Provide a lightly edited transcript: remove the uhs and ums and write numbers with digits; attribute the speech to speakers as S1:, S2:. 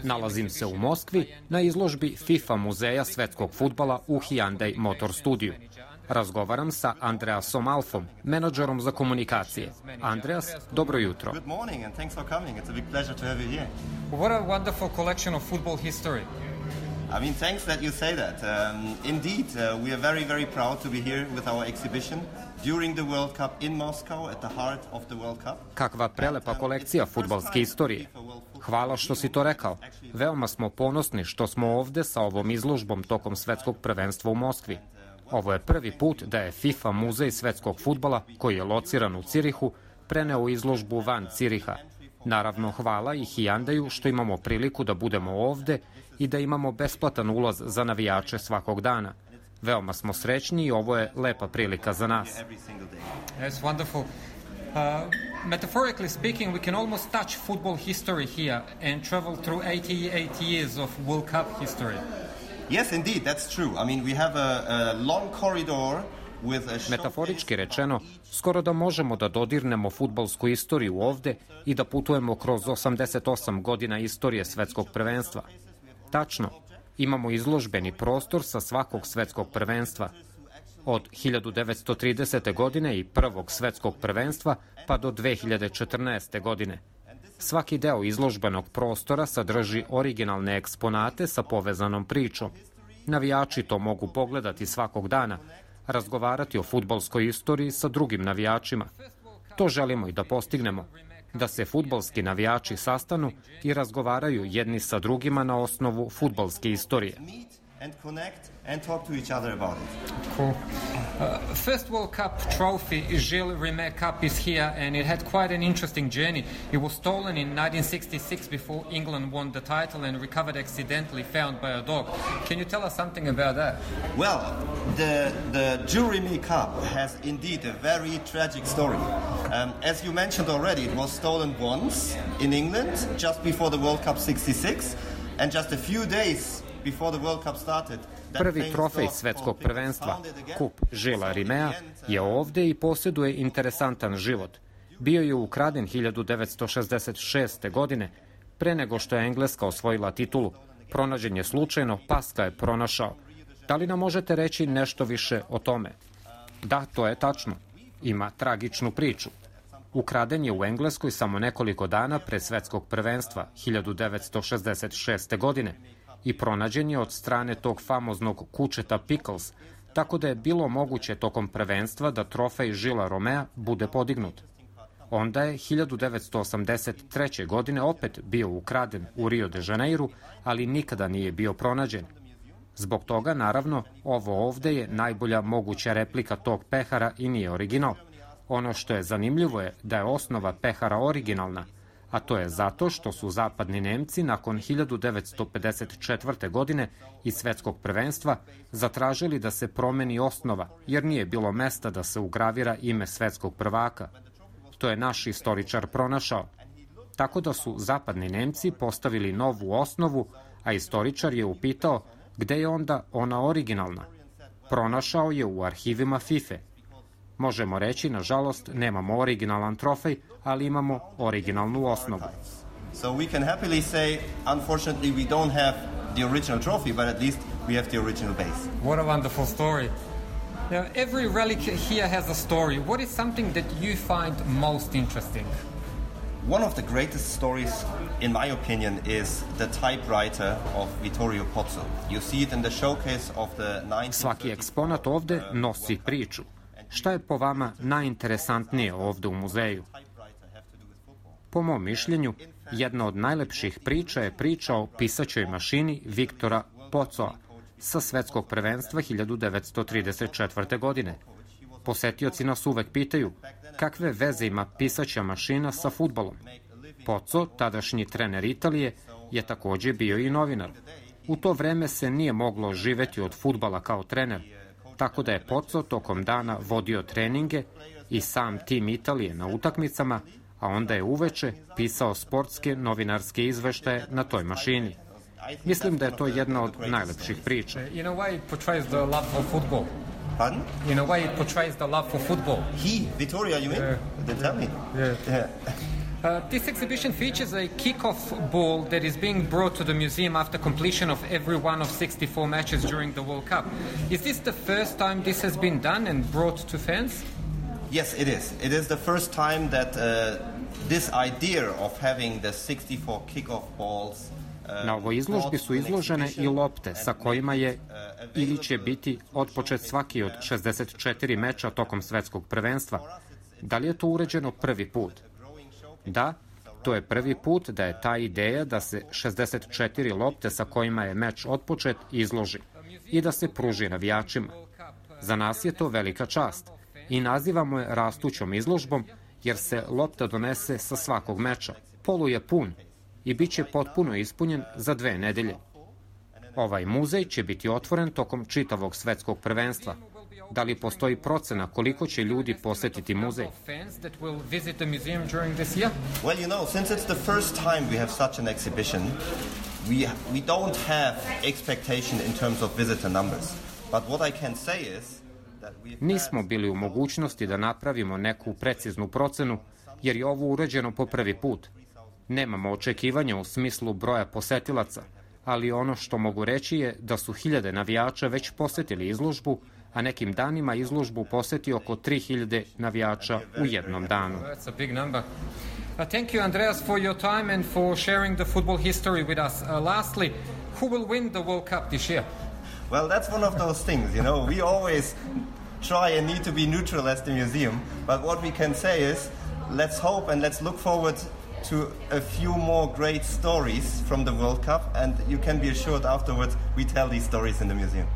S1: Nalazim se u Moskvi na izložbi FIFA muzeja svetskog fudbala u Hyundai Motor Studiju. Razgovaram sa Andreasom Alfom, menadžerom za komunikacije. Andreas, dobro jutro.
S2: Good morning and thanks for coming. It's a big pleasure to have you here.
S3: What a wonderful collection of football history.
S2: I mean, thanks that you say that. Indeed, we are very, very proud to be here with our exhibition during the World Cup in Moscow, at the heart of the World Cup.
S1: Kakva prelepa kolekcija fudbalske istorije. Hvala što si to rekao. Veoma smo ponosni što smo ovde sa ovom izložbom tokom svetskog prvenstva u Moskvi. Ovo je prvi put da je FIFA muzej svetskog fudbala, koji je lociran u Cirihu, preneo izložbu van Ciriha. Naravno, hvala i Hyundaiu što imamo priliku da budemo ovde i da imamo besplatan ulaz za navijače svakog dana. Veoma smo srećni i ovo je lepa prilika za nas.
S3: That's wonderful. Metaphorically speaking, we can almost touch football history here and travel through 88 years of World Cup history.
S2: Yes, indeed, that's true. I mean, we have a long corridor.
S1: Metaforički rečeno, skoro da možemo da dodirnemo fudbalsku istoriju ovde i da putujemo kroz 88 godina istorije svetskog prvenstva. Tačno, imamo izložbeni prostor sa svakog svetskog prvenstva. Od 1930. godine i prvog svetskog prvenstva pa do 2014. godine. Svaki deo izložbenog prostora sadrži originalne eksponate sa povezanom pričom. Navijači to mogu pogledati svakog dana, razgovarati o fudbalskoj istoriji sa drugim navijačima. To želimo i da postignemo, da se fudbalski navijači sastanu i razgovaraju jedni sa drugima na osnovu fudbalske istorije.
S2: And connect and talk to each other about it.
S3: Cool. First World Cup trophy, Gilles Rimet Cup, is here, and it had quite an interesting journey. It was stolen in 1966 before England won the title and recovered accidentally, found by a dog. Can you tell us something about that?
S2: Well, the Gilles Rimet Cup has indeed a very tragic story. As you mentioned already, it was stolen once in England just before the World Cup '66, and just a few days before the World Cup started.
S1: Prvi trofej svetskog prvenstva, kup Gilesa Rimea, je ovde i posjeduje interesantan život. Bio je ukraden 1966. godine, pre nego što je Engleska osvojila titulu. Pronađen je slučajno, pas ga je pronašao. Da li nam možete reći nešto više o tome? Da, to je tačno. Ima tragičnu priču. Ukraden je u Engleskoj samo nekoliko dana pre svetskog prvenstva 1966. godine i pronađen je od strane tog famoznog kučeta Pickles, tako da je bilo moguće tokom prvenstva da trofej Gilesa Rimea bude podignut. Onda je 1983. godine opet bio ukraden u Rio de Janeiru, ali nikada nije bio pronađen. Zbog toga, naravno, ovo ovde je najbolja moguća replika tog pehara i nije original. Ono što je zanimljivo je da je osnova pehara originalna, a to je zato što su zapadni Nemci nakon 1954. godine i svetskog prvenstva zatražili da se promeni osnova, jer nije bilo mesta da se ugravira ime svetskog prvaka. To je naš istoričar pronašao. Tako da su zapadni Nemci postavili novu osnovu, a istoričar je upitao gde je onda ona originalna. Pronašao je u arhivima FIFA. Možemo reći, nažalost, nemamo originalan trofej, ali imamo originalnu osnovu.
S2: So we can happily say, unfortunately, we don't have the original trophy, but at least we have the original base.
S3: What a wonderful story. Now, every relic here has a story. What is something that you find most interesting?
S2: One of the greatest stories, in my opinion, is the typewriter of Vittorio Pozzo. You see it in the showcase of the 1930s.
S1: Svaki eksponat ovde nosi priču. Šta je po vama najinteresantnije ovde u muzeju? Po mom mišljenju, jedna od najlepših priča je priča o pisaćoj mašini Viktora Pozzoa sa svetskog prvenstva 1934. godine. Posetioci nas uvek pitaju kakve veze ima pisaća mašina sa fudbalom. Pozzo, tadašnji trener Italije, je takođe bio i novinar. U to vreme se nije moglo živeti od fudbala kao trener, tako da je Pozzo tokom dana vodio treninge i sam tim Italije na utakmicama, a onda je uveče pisao sportske novinarske izveštaje na toj mašini. Mislim da je to jedna od najlepših priča.
S3: In a way it portrays the love for football.
S2: Pardon?
S3: In a way it portrays the love for football.
S2: Vittorio, you mean? Then tell me.
S3: Yeah. This exhibition features a kick-off ball that is being brought to the museum after completion of every one of 64 matches during the World Cup. Is this the first time this has been done and brought to fans?
S2: Yes, it is. It is the first time that this idea of having the 64 kick-off balls
S1: Na ovoj izložbi su izložene i lopte sa kojima je ili će biti otpočet svaki od 64 meča tokom svetskog prvenstva. Da li je to urađeno prvi put? Da, to je prvi put da je ta ideja da se 64 lopte sa kojima je meč otpočet izloži i da se pruži navijačima. Za nas je to velika čast i nazivamo je rastućom izložbom jer se lopta donese sa svakog meča. Polu je pun i bit će potpuno ispunjen za 2 nedelje. Ovaj muzej će biti otvoren tokom čitavog svetskog prvenstva. Da li postoji procena koliko će ljudi posetiti muzej?
S2: Well, you know, since it's the first time we have such an exhibition, we don't have expectation in terms of visitor numbers. But what I can say is that
S1: Nismo bili u mogućnosti da napravimo neku preciznu procenu, jer je ovo urađeno po prvi put. Nemamo očekivanja u smislu broja posetilaca, ali ono što mogu reći je da su 1000 navijača već posetili izložbu, a nekim danima izložbu poseti oko 3000 navijača u jednom danu.
S3: That's a big number. Thank you, Andreas, for your time and for sharing the football history with us. Lastly, who will win the World Cup this year?
S2: Well, that's one of those things, you know. We always try and need to be neutral as the museum, but what we can say is, let's hope and let's look forward to a few more great stories from the World Cup, and you can be assured afterwards we tell these stories in the museum.